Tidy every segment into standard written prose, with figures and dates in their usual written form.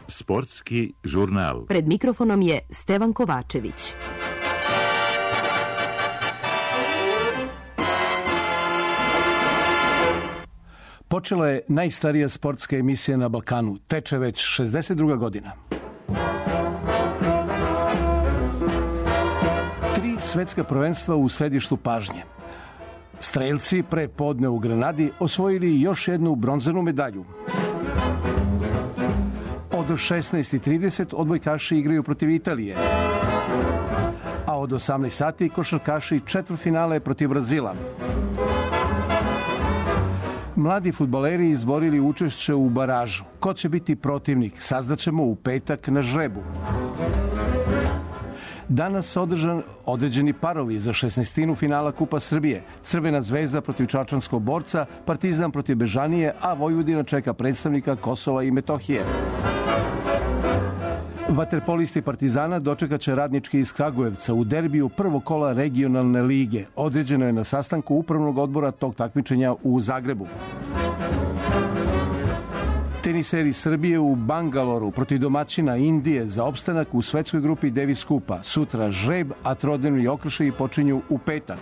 Sportski žurnal. Pred mikrofonom je Stevan Kovačević. Počela je najstarija sportska emisija na Balkanu. Teče već 62. godina. 3 svetska prvenstva u središtu pažnje. Strelci pre podne u Granadi osvojili još jednu bronzanu medalju. Od 16:30 odbojkaši igraju protiv Italije. A od 18 sati košarkaši četvrtfinale protiv Brazila. Mladi fudbaleri izborili učešće u baražu. Ko će biti protivnik, saznaćemo u petak na žrebu. Danas određeni parovi za 16. finala Kupa Srbije. Crvena zvezda protiv Čačanskog Borca, Partizan protiv Bežanije, a Vojvodina čeka predstavnika Kosova i Metohije. Vaterpolisti Partizana dočekaće Radnički iz Kragujevca u derbiju prvog kola regionalne lige. Određeno je na sastanku upravnog odbora tog takmičenja u Zagrebu. Teniseri Srbije u Bangaloru protiv domaćina Indije za opstanak u svetskoj grupi Davis Kupa. Sutra žreb, a trodnevni okršaji počinju u petak.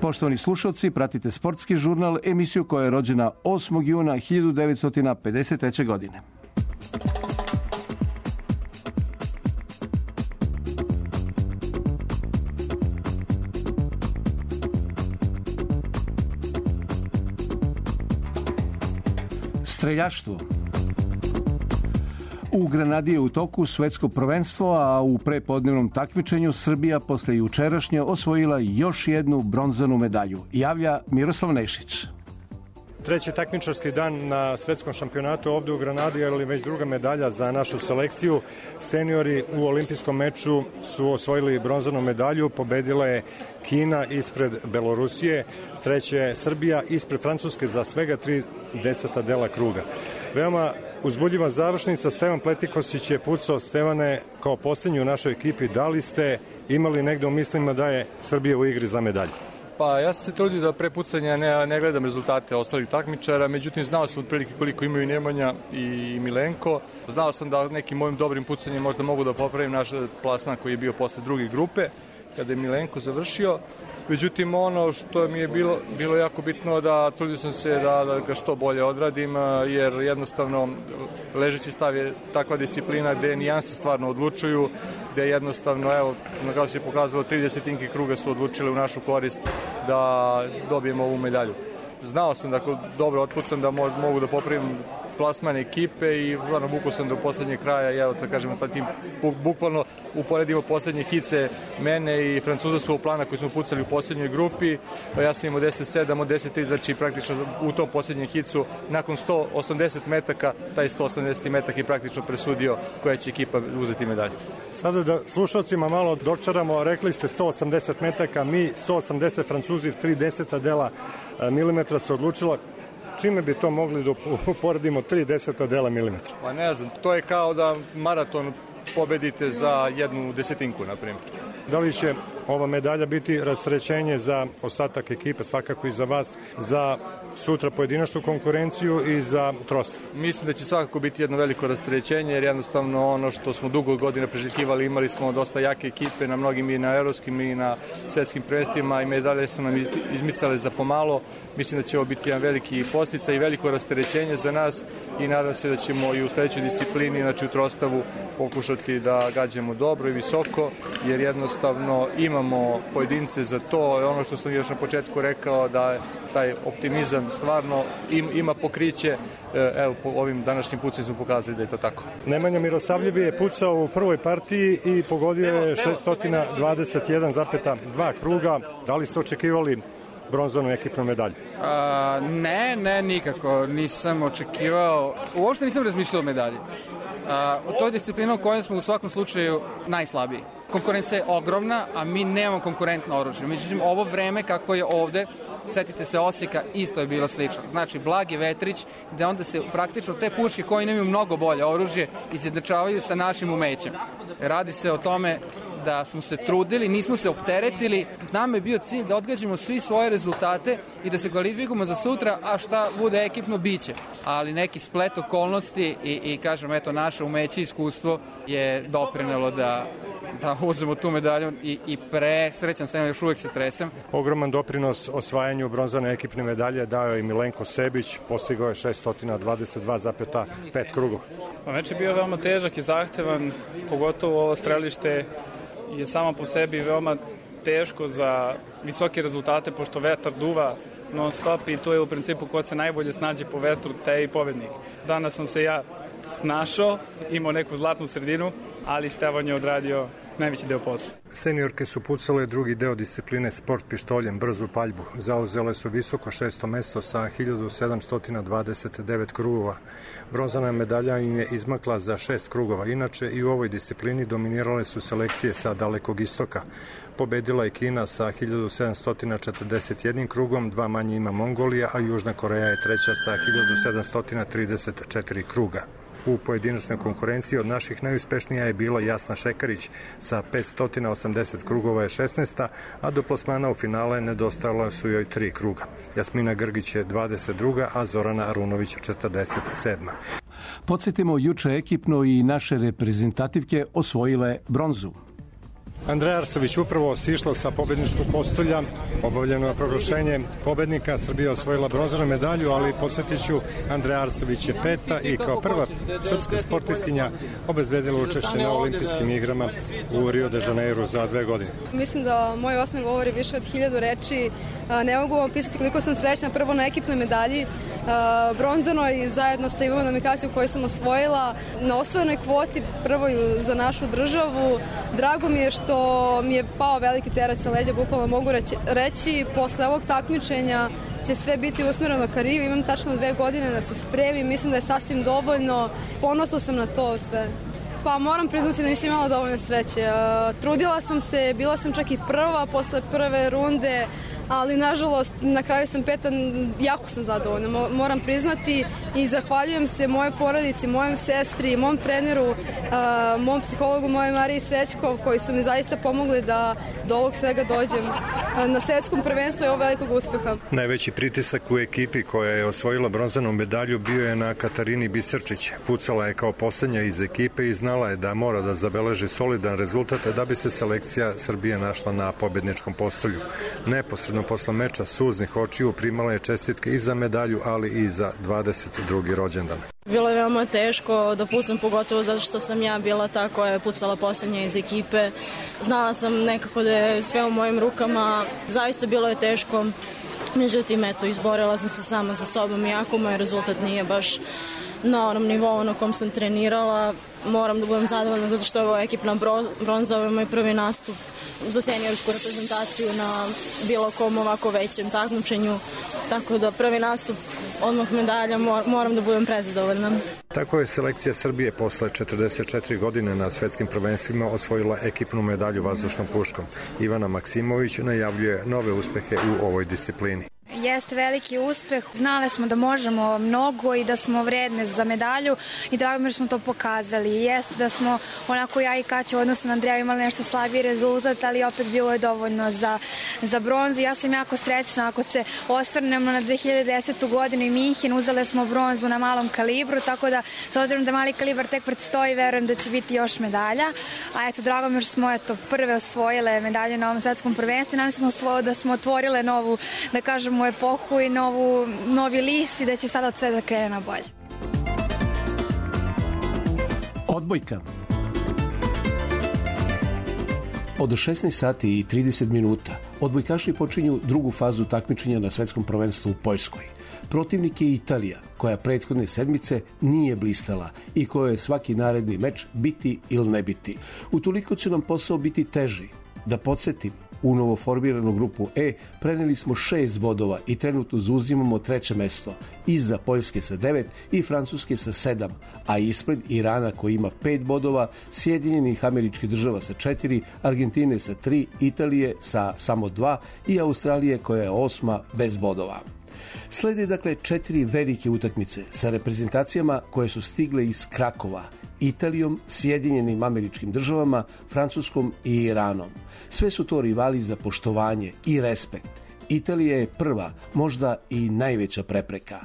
Poštovani slušalci, pratite Sportski žurnal, emisiju koja je rođena 8. juna 1953. godine. Streljaštvo. U Granadi je u toku svetsko prvenstvo, a u prepodnevnom takmičenju Srbija posle jučerašnje osvojila još jednu bronzanu medalju. Javlja Miroslav Nešić. Treći takmičarski dan na svetskom šampionatu ovde u Granadi, ali već druga medalja za našu selekciju. Seniori u olimpijskom meču su osvojili bronzanu medalju, pobedila je Kina ispred Belorusije, treća je Srbija ispred Francuske za svega 3 dela kruga. Veoma uzbudljiva završnica, Stevan Pletikosić je pucao. Stevane, kao poslednji u našoj ekipi, da li ste imali negde u mislima da je Srbija u igri za medalju? Pa ja sam se trudio da pre pucanja ne gledam rezultate ostalih takmičara, međutim znao sam otprilike koliko imaju Nemanja i Milenko. Znao sam da nekim mojim dobrim pucanjem možda mogu da popravim naš plasman koji je bio posle druge grupe, kada je Milenko završio. Međutim, ono što mi je bilo jako bitno da trudio sam se da ga što bolje odradim, jer jednostavno ležeći stav je takva disciplina gde nijanse stvarno odlučuju, gde jednostavno, evo, na kao se je pokazalo, 30 kruga su odlučile u našu korist da dobijemo ovu medalju. Znao sam da ako dobro otpucam da mogu da popravim plasman ekipe i stvarno vukao sam do poslednjeg kraja i evo to kažemo ta tim bukvalno uporedimo poslednje hice mene i Francuza su u plana koji smo pucali u poslednjoj grupi, ja sam imao 10-7 od 10-3, znači praktično u tom poslednjem hicu nakon 180 metaka, taj 180 metak je praktično presudio koja će ekipa uzeti medalju. Sada da slušalcima malo dočaramo, rekli ste 180 metaka, mi 180, Francuzi 3 dela milimetra se odlučila. Čime bi to mogli da uporedimo 3 dela milimetra? Pa ne znam, to je kao da maraton pobedite za 1/10, na primjer. Da li će ova medalja biti rasterećenje za ostatak ekipe, svakako i za vas, za sutra pojedinačnu konkurenciju i za trostav? Mislim da će svakako biti jedno veliko rasterećenje, jer jednostavno ono što smo dugo godina preželjkivali, imali smo dosta jake ekipe na mnogim i na evropskim i na svetskim prvenstvima i medalje su nam izmicale za pomalo. Mislim da će ovo biti jedan veliki posticaj i veliko rasterećenje za nas i nadam se da ćemo i u sledećoj disciplini, znači u trostavu, pokušati da gađamo dobro i visoko, jer jednostavno imamo pojedince za to. Ono što sam još na početku rekao, da taj optimizam stvarno ima pokriće. Evo, po ovim današnjim pucima smo pokazali da je to tako. Nemanja Mirosavljevi je pucao u prvoj partiji i pogodio je 621,2 kruga. Da li ste očekivali bronzanu ekipnu medalju? Ne, nikako. Nisam očekivao. Uopšte nisam razmišljao o medalji. To je disciplina u kojoj smo u svakom slučaju najslabiji. Konkurencija je ogromna, a mi nemamo konkurentno oružje. Međutim, ovo vreme kako je ovde, setite se Osijeka, isto je bilo slično. Znači, Blagi Vetrić, gde onda se praktično te puške koje imaju mnogo bolje oružje izjednačavaju sa našim umećem. Radi se o tome da smo se trudili, nismo se opteretili. Nama je bio cilj da odgađamo svi svoje rezultate i da se kvalifikujemo za sutra, a šta bude ekipno biće. Ali neki splet okolnosti i kažem, eto, naše umeće i iskustvo je doprinelo da uzmemo tu medalju i srećan sam, još uvek se tresem. Ogroman doprinos osvajanju bronzane ekipne medalje dao je i Milenko Sebić, postigao je 622,5 krugova. Meč je bio veoma težak i zahtevan, pogotovo ovo strelište je samo po sebi veoma teško za visoke rezultate, pošto vetar duva non stop i to je u principu ko se najbolje snađe po vetru, taj je i pobednik. Danas sam se ja snašao, imao neku zlatnu sredinu, ali Stevan je odradio najveći deo posla. Seniorke su pucale drugi deo discipline sport pištoljem, brzu paljbu. Zauzele su visoko 6. mesto sa 1729 krugova. Bronzana medalja im je izmakla za 6 krugova. Inače, i u ovoj disciplini dominirale su selekcije sa Dalekog istoka. Pobedila je Kina sa 1741 krugom, 2 manje ima Mongolija, a Južna Koreja je treća sa 1734 kruga. U pojedinačnoj konkurenciji od naših najuspešnija je bila Jasna Šekarić sa 580 krugova je 16. a do plasmana u finale nedostajala su joj 3 kruga. Jasmina Grgić je 22. a Zorana Arunović 47. Podsjetimo, juče ekipno i naše reprezentativke osvojile bronzu. Andreja Arsović upravo sišla sa pobedničkog postolja, obavljeno je proglašenje pobednika, Srbija osvojila bronzanu medalju, ali podsjetiću, Andreja Arsović je 5. i kao prva srpska sportistkinja obezbedila učešće na olimpijskim igrama u Rio de Janeiru za 2 godine. Mislim da moj osmeh govori više od 1000 reči. Ne mogu vam pisati koliko sam srećna prvo na ekipnoj medalji, bronzanoj zajedno sa Ivanom Mikaćem koju sam osvojila, na osvojenoj kvoti prvoj za našu državu. Drago mi je što mi je pao veliki teret sa leđa, bukvalno mogu reći. Posle ovog takmičenja će sve biti usmereno ka Riju. Imam tačno 2 godine da se spremim, mislim da je sasvim dovoljno. Ponosna sam na to sve. Pa moram priznati da nisam imala dovoljno sreće. Trudila sam se, bila sam čak i prva posle prve runde, ali nažalost na kraju sam 5. Jako sam zadovoljna, moram priznati, i zahvaljujem se mojoj porodici, mojem sestri, mom treneru, mom psihologu, moje Mariji Srećkov, koji su mi zaista pomogli da do ovog svega dođem. Na svetskom prvenstvu je ovo velikog uspeha. Najveći pritisak u ekipi koja je osvojila bronzanu medalju bio je na Katarini Bisrčić. Pucala je kao poslednja iz ekipe i znala je da mora da zabeleži solidan rezultat da bi se selekcija Srbije našla na pobedničkom postolju. Neposredno posle meča suznih očiju primala je čestitke i za medalju, ali i za 22. rođendan. Bilo je veoma teško da pucam, pogotovo zato što sam ja bila ta koja je pucala poslednja iz ekipe. Znala sam nekako da je sve u mojim rukama, zaista bilo je teško. Međutim, eto, izborila sam se sama sa sobom, iako moj rezultat nije baš na onom nivou na kom sam trenirala. Moram da budem zadovoljna zato što je ovo ekipna bronza, ovo je moj prvi nastup za seniorsku reprezentaciju na bilo kom ovako većem takmičenju, tako da prvi nastup, odmah medalja, moram da budem prezadovoljna. Tako je selekcija Srbije posle 44 godine na svetskim prvenstvima osvojila ekipnu medalju vazdušnom puškom. Ivana Maksimović najavljuje nove uspehe u ovoj disciplini. Jeste veliki uspeh. Znali smo da možemo mnogo i da smo vredne za medalju i drago mi smo to pokazali. Jeste da smo onako ja i Kaća u odnosu na Andreja imali nešto slabiji rezultat, ali opet bilo je dovoljno za bronzu. Ja sam jako srećna ako se osvrnemo na 2010. godinu i Minhen, uzele smo bronzu na malom kalibru, tako da s obzirom da mali kalibar tek predstoji, verujem da će biti još medalja. A eto, drago mi što smo prve osvojile medalju na ovom svetskom prvenstvu. Nam smo da smo otvorile novu, da kažemo, epohu i novi list i da će sada od sve da krene na bolje. Odbojka. Od 16 sati i 30 minuta odbojkaši počinju drugu fazu takmičenja na svetskom prvenstvu u Poljskoj. Protivnik je Italija, koja prethodne sedmice nije blistala i kojoj je svaki naredni meč biti ili ne biti. Utoliko će nam posao biti teži. Da podsjetim, u novoformiranu grupu E preneli smo 6 bodova i trenutno zauzimamo 3. mesto, iza Poljske sa 9 i Francuske sa 7, a ispred Irana koji ima 5 bodova, Sjedinjenih Američkih Država sa 4, Argentine sa 3, Italije sa samo 2 i Australije koja je 8. bez bodova. Slede dakle 4 velike utakmice sa reprezentacijama koje su stigle iz Krakova, Italijom, Sjedinjenim Američkim Državama, Francuskom i Iranom. Sve su to rivali za poštovanje i respekt. Italija je prva, možda i najveća prepreka.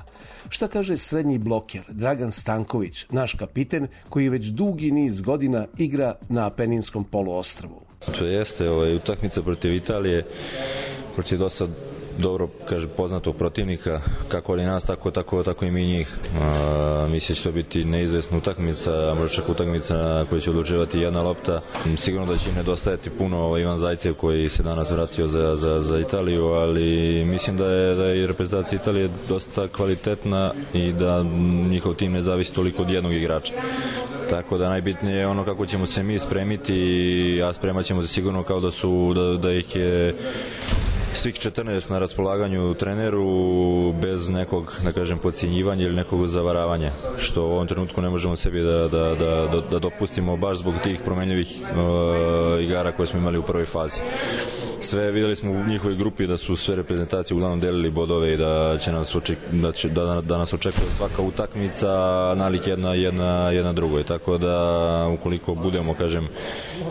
Šta kaže srednji bloker Dragan Stanković, naš kapiten koji već dugi niz godina igra na Apeninskom poluostrvu? To jeste utakmica protiv Italije, protiv dosta dobro, kaže, poznatog protivnika, kako li nas, tako i mi njih. Mislim će to biti neizvesna utakmica, možda čak utakmica na kojoj će odlučivati jedna lopta. Sigurno da će im nedostajati puno Ivan Zajcev koji se danas vratio za Italiju, ali mislim da je reprezentacija Italije dosta kvalitetna i da njihov tim ne zavisi toliko od jednog igrača. Tako da najbitnije je ono kako ćemo se mi spremiti, a spremat ćemo se sigurno kao da ih je svih 14 na raspolaganju treneru bez nekog, da kažem, podcjenjivanja ili nekog zavaravanja, što u ovom trenutku ne možemo sebi da dopustimo baš zbog tih promenljivih igara koje smo imali u prvoj fazi. Sve videli smo u njihovoj grupi da su sve reprezentacije uglavnom delili bodove i da nas očekuje svaka utakmica nalik jedna drugoj. Tako da ukoliko budemo, kažem,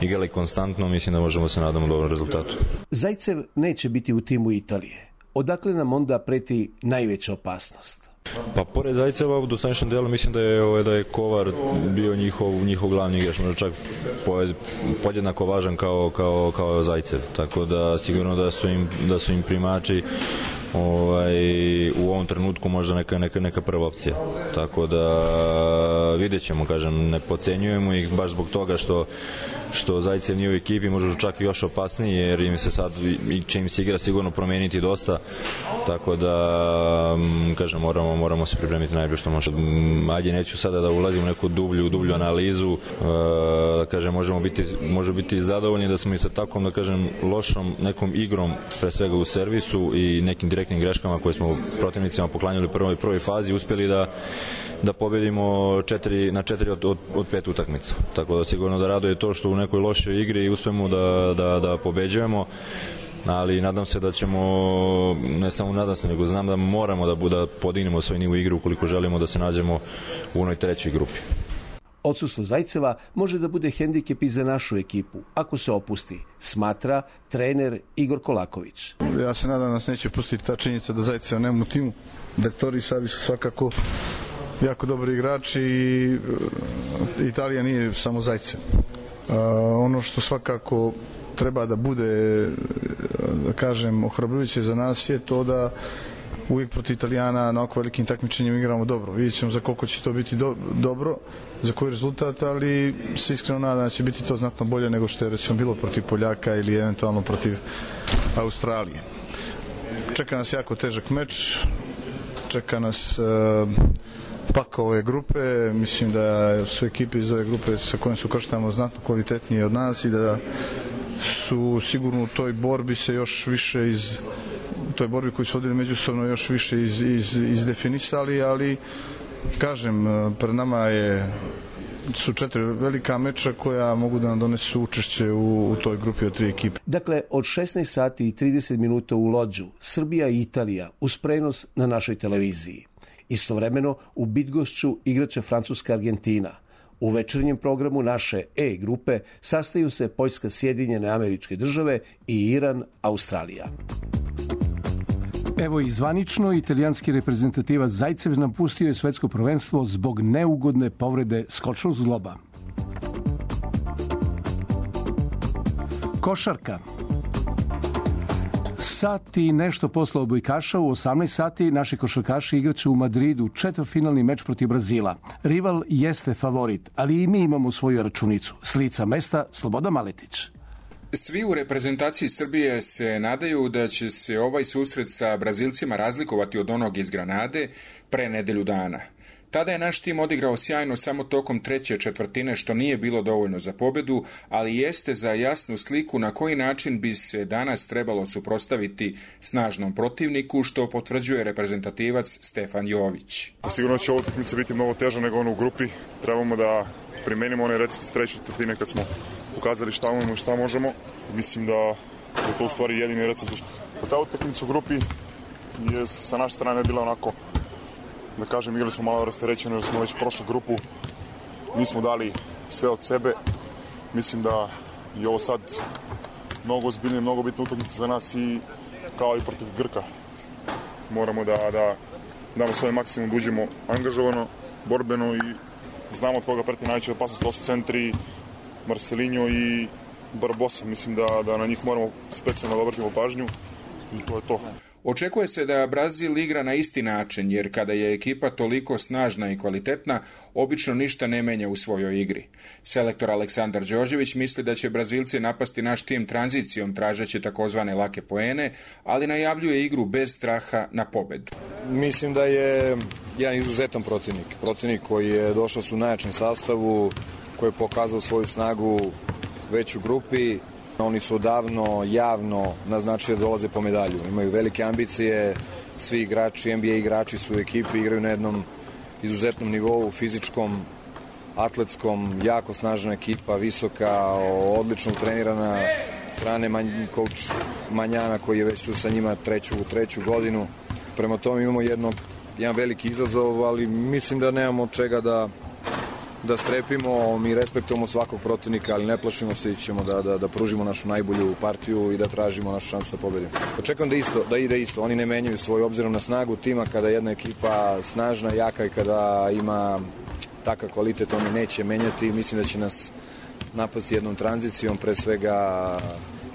igrali konstantno, mislim da možemo se nadamo dobrom rezultatu. Zajcev neće biti u timu Italije. Odakle nam onda preti najveća opasnost? Pa pored Zajceva u dosadašnjem delu mislim da je Kovar bio njihov glavni igrač, možda čak podjednako važan kao Zajcev, tako da sigurno da su im primači u ovom trenutku možda neka prva opcija, tako da vidjet ćemo, kažem, ne podcenjujemo ih baš zbog toga što Zajcev nije u ekipi, možda čak i još opasniji, jer im se sad će im se igra sigurno promeniti dosta, tako da, kažem, moramo se pripremiti najbolje što može. Ajde, neću sada da ulazim u neku dublju analizu, da kažem, može biti zadovoljni da smo i sa takvom, da kažem, lošom nekom igrom, pre svega u servisu i nekim direktnim greškama koje smo protivnicima poklanjali u prvoj fazi, uspjeli da pobedimo na 4 od 5 utakmica. Tako da sigurno da raduje to što u nekoj lošoj igri uspemo da pobeđujemo, ali nadam se da ćemo, ne samo nadam se, nego znam da moramo da podignemo svoj nivo igre ukoliko želimo da se nađemo u onoj trećoj grupi. Odsustvo Zajceva može da bude hendikep i za našu ekipu, ako se opusti, smatra trener Igor Kolaković. Ja se nadam da nas neće pustiti ta činjenica da Zajceva nema u timu. Dektori i Savi su svakako jako dobri igrači i Italija nije samo Zajcev. Ono što svakako treba da bude, da kažem, ohrabrujuće za nas je to da uvijek protiv Italijana na ovako velikim takmičenjem igramo dobro. Vidjet ćemo za koliko će to biti dobro, za koji rezultat, ali se iskreno nadam da će biti to znatno bolje nego što je recimo bilo protiv Poljaka ili eventualno protiv Australije. Čeka nas jako težak meč, čeka nas paka ove grupe, mislim da su ekipe iz ove grupe sa kojim su krštamo znatno kvalitetnije od nas i da su sigurno u toj borbi se još više u toj borbi koju su vodili međusobno još više izdefinisali, ali kažem, pred nama su 4 velika meča koja mogu da nam donesu učešće u toj grupi od 3 ekipe. Dakle, od 16 sati i 30 minuta u Lodžu, Srbija i Italija uz prenos na našoj televiziji. Istovremeno, u Bydgošću igraće Francuska Argentina. U večernjem programu naše E grupe sastaju se Poljska, Sjedinjene Američke Države i Iran, Australija. Evo i zvanično, italijanski reprezentativac Zajcev napustio je svetsko prvenstvo zbog neugodne povrede skočnog zgloba. Košarka. Sat i nešto posle odbojkaša u 18 sati naši košarkaši igraće u Madridu četvrtfinalni meč protiv Brazila. Rival jeste favorit, ali i mi imamo svoju računicu. S lica mesta Slobodan Maletić. Svi u reprezentaciji Srbije se nadaju da će se ovaj susret sa Brazilcima razlikovati od onog iz Granade pre nedelju dana. Tada je naš tim odigrao sjajno samo tokom treće četvrtine, što nije bilo dovoljno za pobedu, ali jeste za jasnu sliku na koji način bi se danas trebalo suprotstaviti snažnom protivniku, što potvrđuje reprezentativac Stefan Jović. Sigurno će ova utakmica biti mnogo teža nego ono u grupi. Trebamo da primenimo onaj recept s treće četvrtine kad smo pokazali šta imamo i šta možemo. Mislim da je to u stvari jedini recept uspeha. Ta utakmica u grupi je sa naše strane bila onako, da kažem, igrali smo malo rasterećeno jer smo već prošli grupu nismo dali sve od sebe. Mislim da je ovo sad mnogo ozbiljnije, mnogo bitna utakmica za nas i kao i protiv Grka. Moramo da damo svoj maksimum, da uđemo angažovano, borbeno i znamo od koga preti najveća opasnost. To su centri Marcelinho i Barbosa. Mislim da na njih moramo specijalno da obratimo pažnju i to je to. Očekuje se da Brazil igra na isti način, jer kada je ekipa toliko snažna i kvalitetna, obično ništa ne menja u svojoj igri. Selektor Aleksandar Đorđević misli da će Brazilci napasti naš tim tranzicijom, tražeći takozvane lake poene, ali najavljuje igru bez straha na pobedu. Mislim da je jedan izuzetan protivnik koji je došao u najjačem sastavu, koji je pokazao svoju snagu već u grupi. Oni su odavno javno naznačili da dolaze po medalju. Imaju velike ambicije, svi igrači, NBA igrači su u ekipi, igraju na jednom izuzetnom nivou, fizičkom, atletskom, jako snažna ekipa, visoka, odlično trenirana strane coach Manjana koji je već tu sa njima treću godinu. Prema tome imamo jedan veliki izazov, ali mislim da nemamo od čega da strepimo, mi respektujemo svakog protivnika, ali ne plašimo se i ćemo da pružimo našu najbolju partiju i da tražimo našu šansu da pobedimo. Očekujem da ide isto, oni ne menjaju svoj obzirom na snagu tima, kada jedna ekipa snažna, jaka i kada ima takav kvalitet, oni neće menjati. Mislim da će nas napasti jednom tranzicijom, pre svega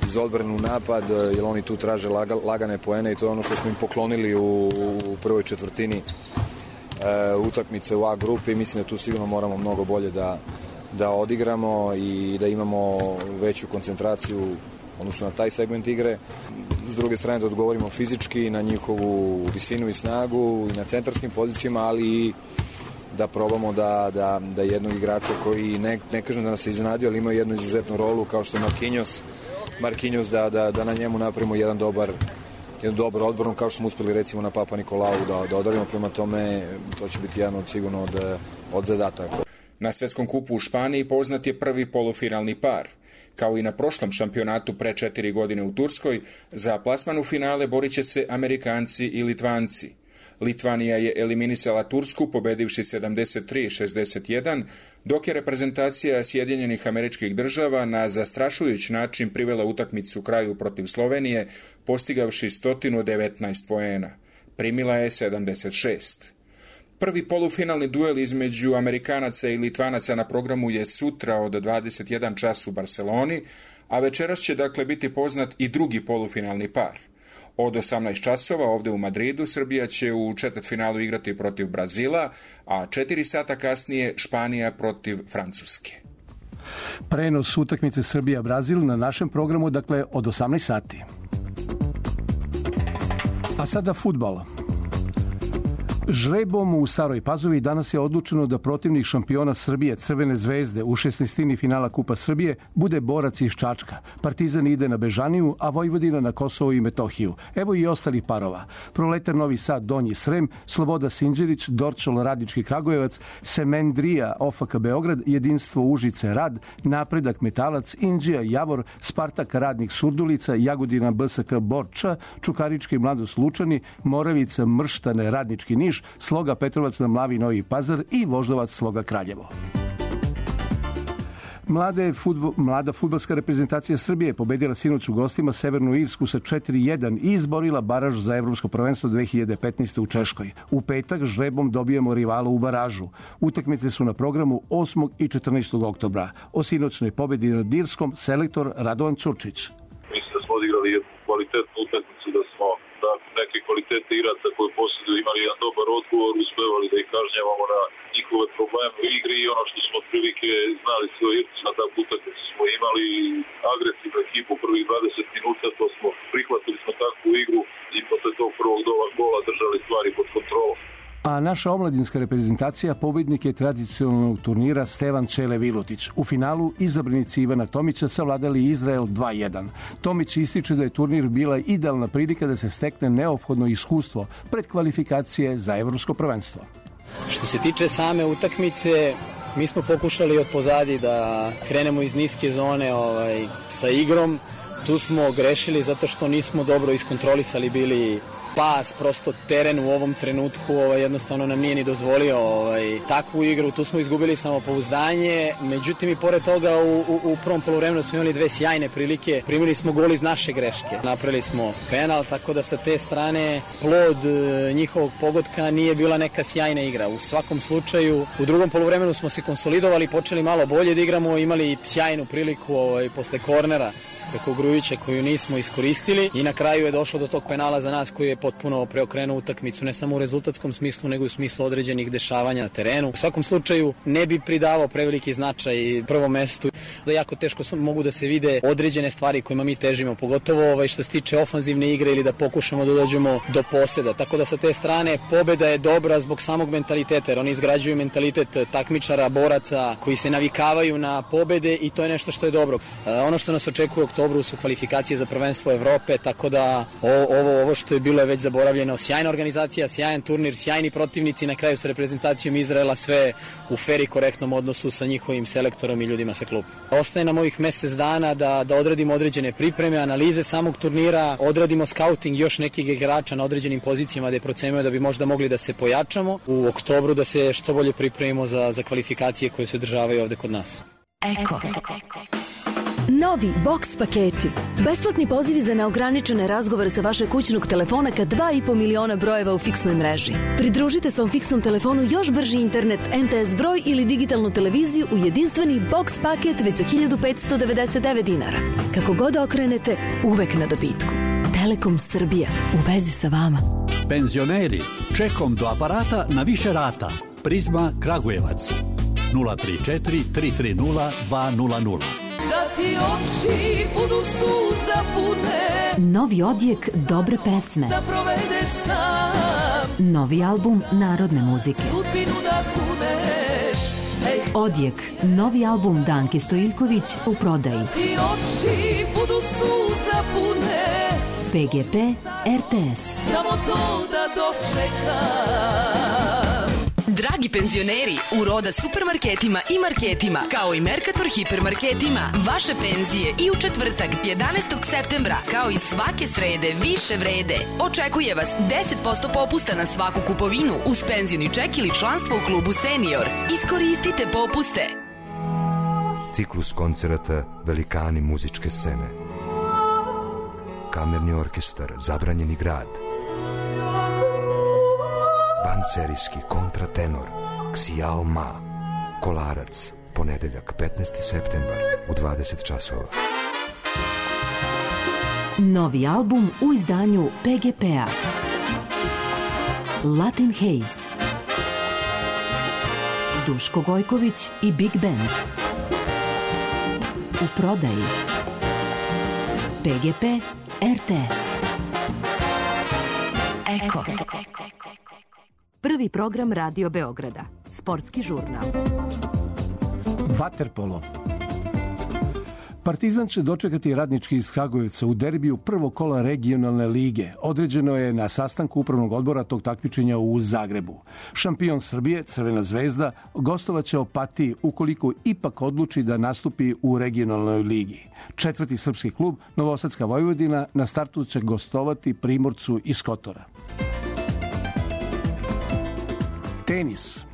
iz odbrane u napad, jer oni tu traže lagane poene i to je ono što smo im poklonili u prvoj četvrtini utakmice u A grupi i mislim da tu sigurno moramo mnogo bolje da odigramo i da imamo veću koncentraciju odnosno na taj segment igre. S druge strane da odgovorimo fizički na njihovu visinu i snagu i na centarskim pozicijama, ali i da probamo da jednog igrača koji ne kažem da nas je iznenadio, ali ima jednu izuzetnu rolu kao što je Marquinhos da na njemu napravimo jedan dobar odbranu kao što smo uspeli recimo na Papa Nikolau da odarimo, prema tome to će biti jedan sigurno od zadataka. Na svetskom kupu u Španiji poznat je prvi polufinalni par. Kao i na prošlom šampionatu pre 4 godine u Turskoj, za plasman u finale borit će se Amerikanci i Litvanci. Litvanija je eliminisala Tursku pobedivši 73-61, dok je reprezentacija Sjedinjenih Američkih Država na zastrašujući način privela utakmicu kraju protiv Slovenije, postigavši 119 poena. Primila je 76. Prvi polufinalni duel između Amerikanaca i Litvanaca na programu je sutra od 21 čas u Barceloni, a večeras će dakle biti poznat i drugi polufinalni par. Od 18 časova ovde u Madridu Srbija će u četvrtfinalu igrati protiv Brazila, a 4 sata kasnije Španija protiv Francuske. Prenos utakmice Srbija-Brazil na našem programu, dakle, od 18 sati. A sada fudbal. Žrebom u Staroj Pazovi danas je odlučeno da protivnik šampiona Srbije Crvene zvezde u 16. finala Kupa Srbije bude borac iz Čačka. Partizan ide na Bežaniju, a Vojvodina na Kosovo i Metohiju. Evo i ostalih parova. Proletar Novi Sad Donji Srem, Sloboda Sinđerić, Dorčol Radnički Kragujevac, Semendrija OFK Beograd, Jedinstvo Užice Rad, Napredak Metalac, Inđija Javor, Spartak Radnik Surdulica, Jagodina BSK Borča, Čukarički Mladost Lučani, Moravica Mrštane Radnički Niš, Sloga Petrovac na Mlavi Novi Pazar i Voždovac Sloga Kraljevo. Mlada fudbalska reprezentacija Srbije je pobedila sinoć u gostima Severnu Irsku sa 4-1 i izborila baraž za Evropsko prvenstvo 2015. u Češkoj. U petak žrebom dobijemo rivala u baražu. Utakmice su na programu 8. i 14. oktobra. O sinoćnoj pobedi nad Irskom selektor Radovan Ćurčić. Mislim da smo odigrali jednu kvalitetnu utakmicu, da smo neke kvalitete igraca koje posjeduju imali jedan dobar odgovor, uspevali da ih kažnjavamo na njihove probleme u igri i ono što smo otprilike znali sve o Irci na takvu utakmicu smo imali agresivnu ekipu prvih 20 minuta, to smo prihvatili smo takvu igru i posle tog prvog gola držali stvari pod kontrolom. A naša omladinska reprezentacija pobednik je tradicionalnog turnira Stevan Čele Vilutić. U finalu izabranici Ivana Tomića savladali Izrael 2-1. Tomić ističe da je turnir bila idealna prilika da se stekne neophodno iskustvo pred kvalifikacije za Evropsko prvenstvo. Što se tiče same utakmice, mi smo pokušali od pozadi da krenemo iz niske zone sa igrom. Tu smo grešili zato što nismo dobro iskontrolisali bili pas, prosto teren u ovom trenutku jednostavno nam nije ni dozvolio takvu igru. Tu smo izgubili samopouzdanje, međutim i pored toga u prvom poluvremenu smo imali dve sjajne prilike. Primili smo gol iz naše greške. Napravili smo penal, tako da sa te strane plod njihovog pogotka nije bila neka sjajna igra. U svakom slučaju, u drugom poluvremenu smo se konsolidovali, počeli malo bolje da igramo, imali sjajnu priliku posle kornera preko Grujića koju nismo iskoristili i na kraju je došlo do tog penala za nas koji je potpuno preokrenuo utakmicu, ne samo u rezultatskom smislu nego i u smislu određenih dešavanja na terenu. U svakom slučaju ne bi pridavao preveliki značaj prvom mestu, da jako teško mogu da se vide određene stvari kojima mi težimo, pogotovo što se tiče ofanzivne igre ili da pokušamo da dođemo do poseda. Tako da sa te strane pobeda je dobra zbog samog mentaliteta, jer oni izgrađuju mentalitet takmičara, boraca koji se navikavaju na pobede i to je nešto što je dobro. Ono što nas očekuje u oktobru su kvalifikacije za prvenstvo Evrope, tako da ovo što je bilo je već zaboravljeno. Sjajna organizacija, sjajan turnir, sjajni protivnici, na kraju sa reprezentacijom Izraela, sve u fer i korektnom odnosu sa njihovim selektorom i ljudima sa kluba. Ostaje nam ovih mesec dana da odradimo određene pripreme, analize samog turnira, odradimo skauting još nekih igrača na određenim pozicijama da je procenjujemo da bi možda mogli da se pojačamo u oktobru, da se što bolje pripremimo za kvalifikacije koje se održavaju ovde kod nas. Eko. Novi Box paketi. Besplatni pozivi za neograničene razgovore sa vašeg kućnog telefona ka 2,5 miliona brojeva u fiksnoj mreži. Pridružite svom fiksnom telefonu još brži internet, MTS broj ili digitalnu televiziju u jedinstveni Box paket već za 1.599 dinara. Kako god okrenete, uvek na dobitku. Telekom Srbija. U vezi sa vama. Penzioneri, čekom do aparata na više rata. Prizma Kragujevac. 034 330 200. Da ti oči budu suza pune. Novi odjek dobre pesme. Da provedeš sam. Novi album narodne muzike. Sudbinu da kuneš. Odjek, novi album Danke Stojiljković u prodaji. Da ti oči budu suza pune. PGP RTS. Samo to da dočekam. Dragi penzioneri, u Roda supermarketima i marketima, kao i Mercator hipermarketima, vaše penzije i u četvrtak 11. septembra, kao i svake srede, više vrede. Očekuje vas 10% popusta na svaku kupovinu uz penzioni ček ili članstvo u klubu Senior. Iskoristite popuste. Ciklus koncerata Velikani muzičke scene. Kamerni orkestar Zabranjeni grad. Vanserijski kontratenor Xiao Ma. Kolarac, ponedeljak 15. septembar u 20 časova. Novi album u izdanju PGP-a. Latin Haze. Duško Gojković i Big Band. U prodaji. PGP RTS. Eko. Prvi program Radio Beograda. Sportski žurnal. Vaterpolo. Partizan će dočekati Radnički iz Kragujevca u derbiju prvog kola regionalne lige. Određeno je na sastanku upravnog odbora tog takmičenja u Zagrebu. Šampion Srbije, Crvena zvezda, gostovaće Opatiji ukoliko ipak odluči da nastupi u regionalnoj ligi. Četvrti srpski klub, Novosadska Vojvodina, na startu će gostovati Primorcu iz Kotora. Tenis.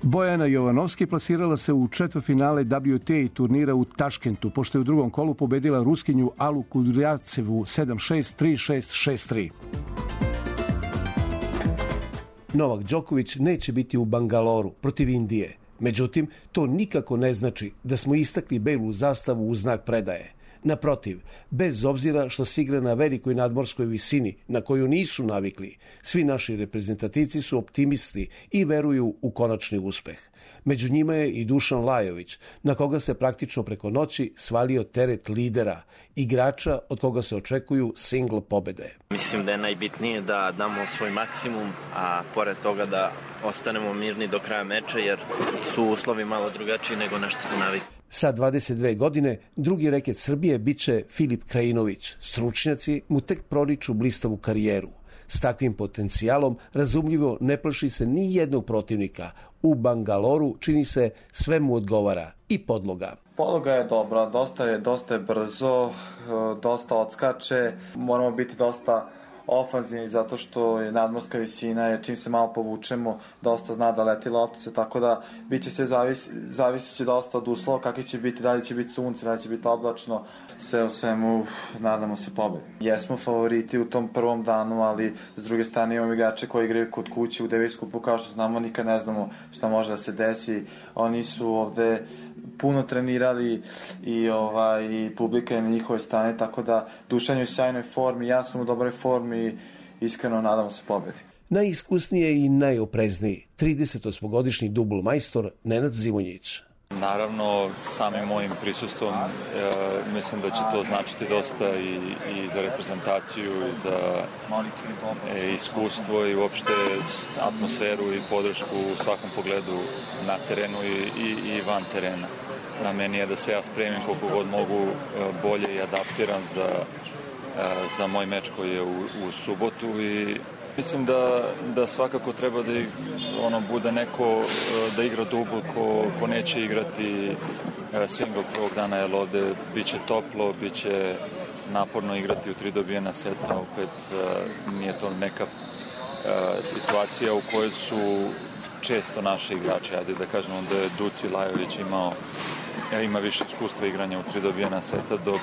Bojana Jovanovski plasirala se u četvrtfinale WTA turnira u Taškentu, pošto je u drugom kolu pobedila Ruskinju Alu Kudrjavcevu 7-6, 3-6, 6-3. Novak Đoković neće biti u Bangaloru protiv Indije. Međutim, to nikako ne znači da smo istakli belu zastavu u znak predaje. Naprotiv, bez obzira što se igra na velikoj nadmorskoj visini na koju nisu navikli, svi naši reprezentativci su optimisti i veruju u konačni uspeh. Među njima je i Dušan Lajović, na koga se praktično preko noći svalio teret lidera, igrača od koga se očekuju single pobede. Mislim da je najbitnije da damo svoj maksimum, a pored toga da ostanemo mirni do kraja meča, jer su uslovi malo drugačiji nego na što smo navikli. Sa 22 godine, drugi reket Srbije biće Filip Krajinović. Stručnjaci mu tek proriču blistavu karijeru. S takvim potencijalom razumljivo ne plaši se ni jednog protivnika. U Bangaloru čini se sve mu odgovara i podloga. Podloga je dobra, dosta je brzo, dosta odskače, moramo biti dosta ofanzivni zato što je nadmorska visina, jer čim se malo povučemo, dosta zna da leti loptica, tako da biće sve zavisit će dosta od uslova, kakvi će biti, da li će biti sunce, da li će biti oblačno, sve u svemu nadamo se pobedi. Jesmo favoriti u tom prvom danu, ali s druge strane imamo igrače koji igraju kod kuće u Davis Cupu, kao što znamo, nikad ne znamo šta može da se desi. Oni su ovde puno trenirali i publika je na njihove strane, tako da Dušan je u sjajnoj formi, ja sam u dobroj formi i iskreno nadamo se pobedi. Najiskusnije i najoprezniji 38-godišnji dubl majstor Nenad Zimonjić. Naravno, samim mojim prisustvom mislim da će to značiti dosta i za reprezentaciju i za iskustvo i uopšte atmosferu i podršku u svakom pogledu na terenu i van terena. Na meni je da se ja spremim koliko god mogu bolje i adaptiram za moj meč koji je u subotu i mislim da svakako treba da bude neko da igra dubl ko neće igrati single prvog dana, jer ovde biće toplo, biće naporno igrati u 3 dobijena seta, opet nije to neka situacija u kojoj su često naši igrači, ajde da kažemo da je Duci Lajović ima više iskustva igranja u 3 dobijena seta, dok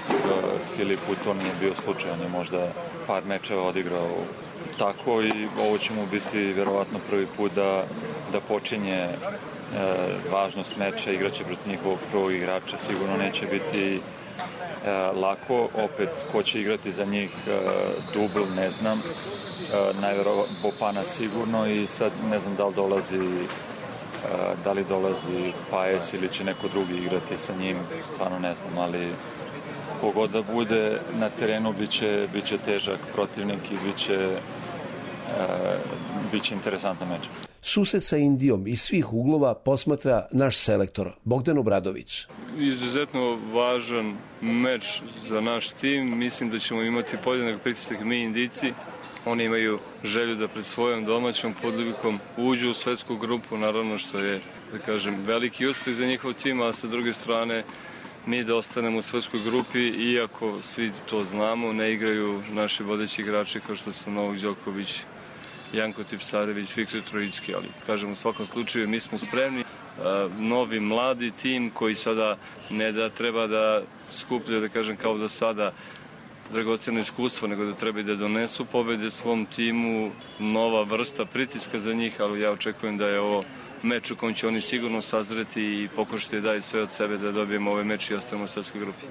Filipu to nije bio slučaj, on je možda par mečeva odigrao tako i ovo će mu biti verovatno prvi put da počinje važnost meča, igraće protiv njihovog prvog igrača, sigurno neće biti lako, opet ko će igrati za njih dubl, ne znam, najverovatno Bopana sigurno i sad ne znam da li dolazi Paes ili će neko drugi igrati sa njim, stvarno ne znam, ali kogod da bude na terenu biće težak protivnik i biće interesantan meč. Susret sa Indijom iz svih uglova posmatra naš selektor Bogdan Obradović. Izuzetno važan meč za naš tim. Mislim da ćemo imati podjednak pritisak mi Indijci. Oni imaju želju da pred svojom domaćom publikom uđu u svetsku grupu, naravno što je, da kažem, veliki uspeh za njihov tim, a sa druge strane mi da ostanemo u svetskoj grupi, iako svi to znamo, ne igraju naši vodeći igrači kao što su Novak Đoković, Janko Tipsarević, Viktor Trojicki, ali kažem u svakom slučaju mi smo spremni. Novi mladi tim koji sada ne da treba da skuplja, da kažem kao do sada, dragocjeno iskustvo, nego da treba da donesu pobede svom timu, nova vrsta pritiska za njih, ali ja očekujem da je ovo meč u kojem će oni sigurno sazreti i pokušati da daju sve od sebe da dobijemo ovaj meč i ostavimo u svetskoj grupi.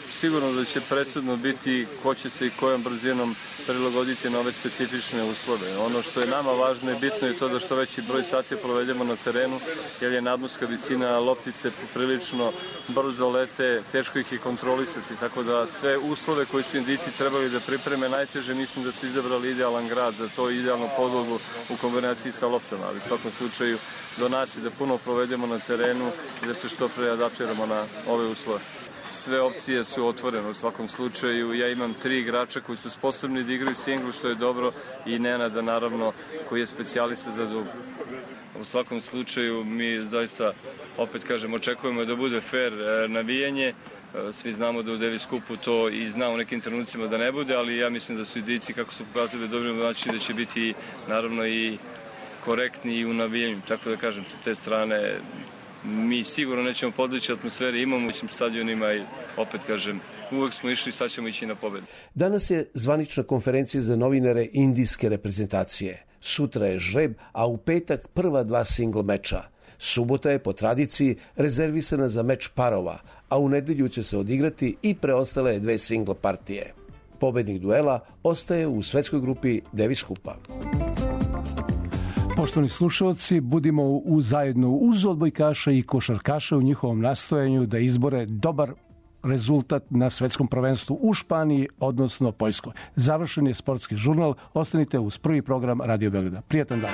Sigurno da će presudno biti ko će se i kojom brzinom prilagoditi na ove specifične uslove. Ono što je nama važno i bitno je to da što veći broj sati provedemo na terenu, jer je nadmorska visina, loptice prilično brzo lete, teško ih je kontrolisati, tako da sve uslove koje su Indijci trebali da pripreme najteže, mislim da su izabrali idealan grad za to, idealnu podlogu u kombinaciji sa loptama, ali u svakom slučaju do nas je da puno provedemo na terenu i da se što pre adaptiramo na ove uslove. Sve opcije su otvorene u svakom slučaju. Ja imam 3 igrača koji su sposobni da igraju singl, što je dobro, i Nenada, naravno, koji je specijalista za dubl. U svakom slučaju mi zaista, opet kažem, očekujemo da bude fair navijanje. Svi znamo da u Davis Cupu to i zna u nekim trenucima da ne bude, ali ja mislim da su Indijci, kako su pokazali dobrim način, da će biti naravno i korektni i u navijanju. Tako da kažem, sa te strane mi sigurno nećemo podlići atmosferi, imamo u stadionima i opet kažem, uvek smo išli, sad ćemo ići na pobedu. Danas je zvanična konferencija za novinare indijske reprezentacije. Sutra je žreb, a u petak prva 2 single meča. Subota je po tradiciji rezervisana za meč parova, a u nedelju će se odigrati i preostale 2 single partije. Pobednik duela ostaje u svetskoj grupi Davis Cupa. Poštovani slušalci, budimo zajedno uz odbojkaša i košarkaša u njihovom nastojanju da izbore dobar rezultat na svetskom prvenstvu u Španiji, odnosno Poljskoj. Završen je sportski žurnal. Ostanite uz prvi program Radio Beograda. Prijatan dan.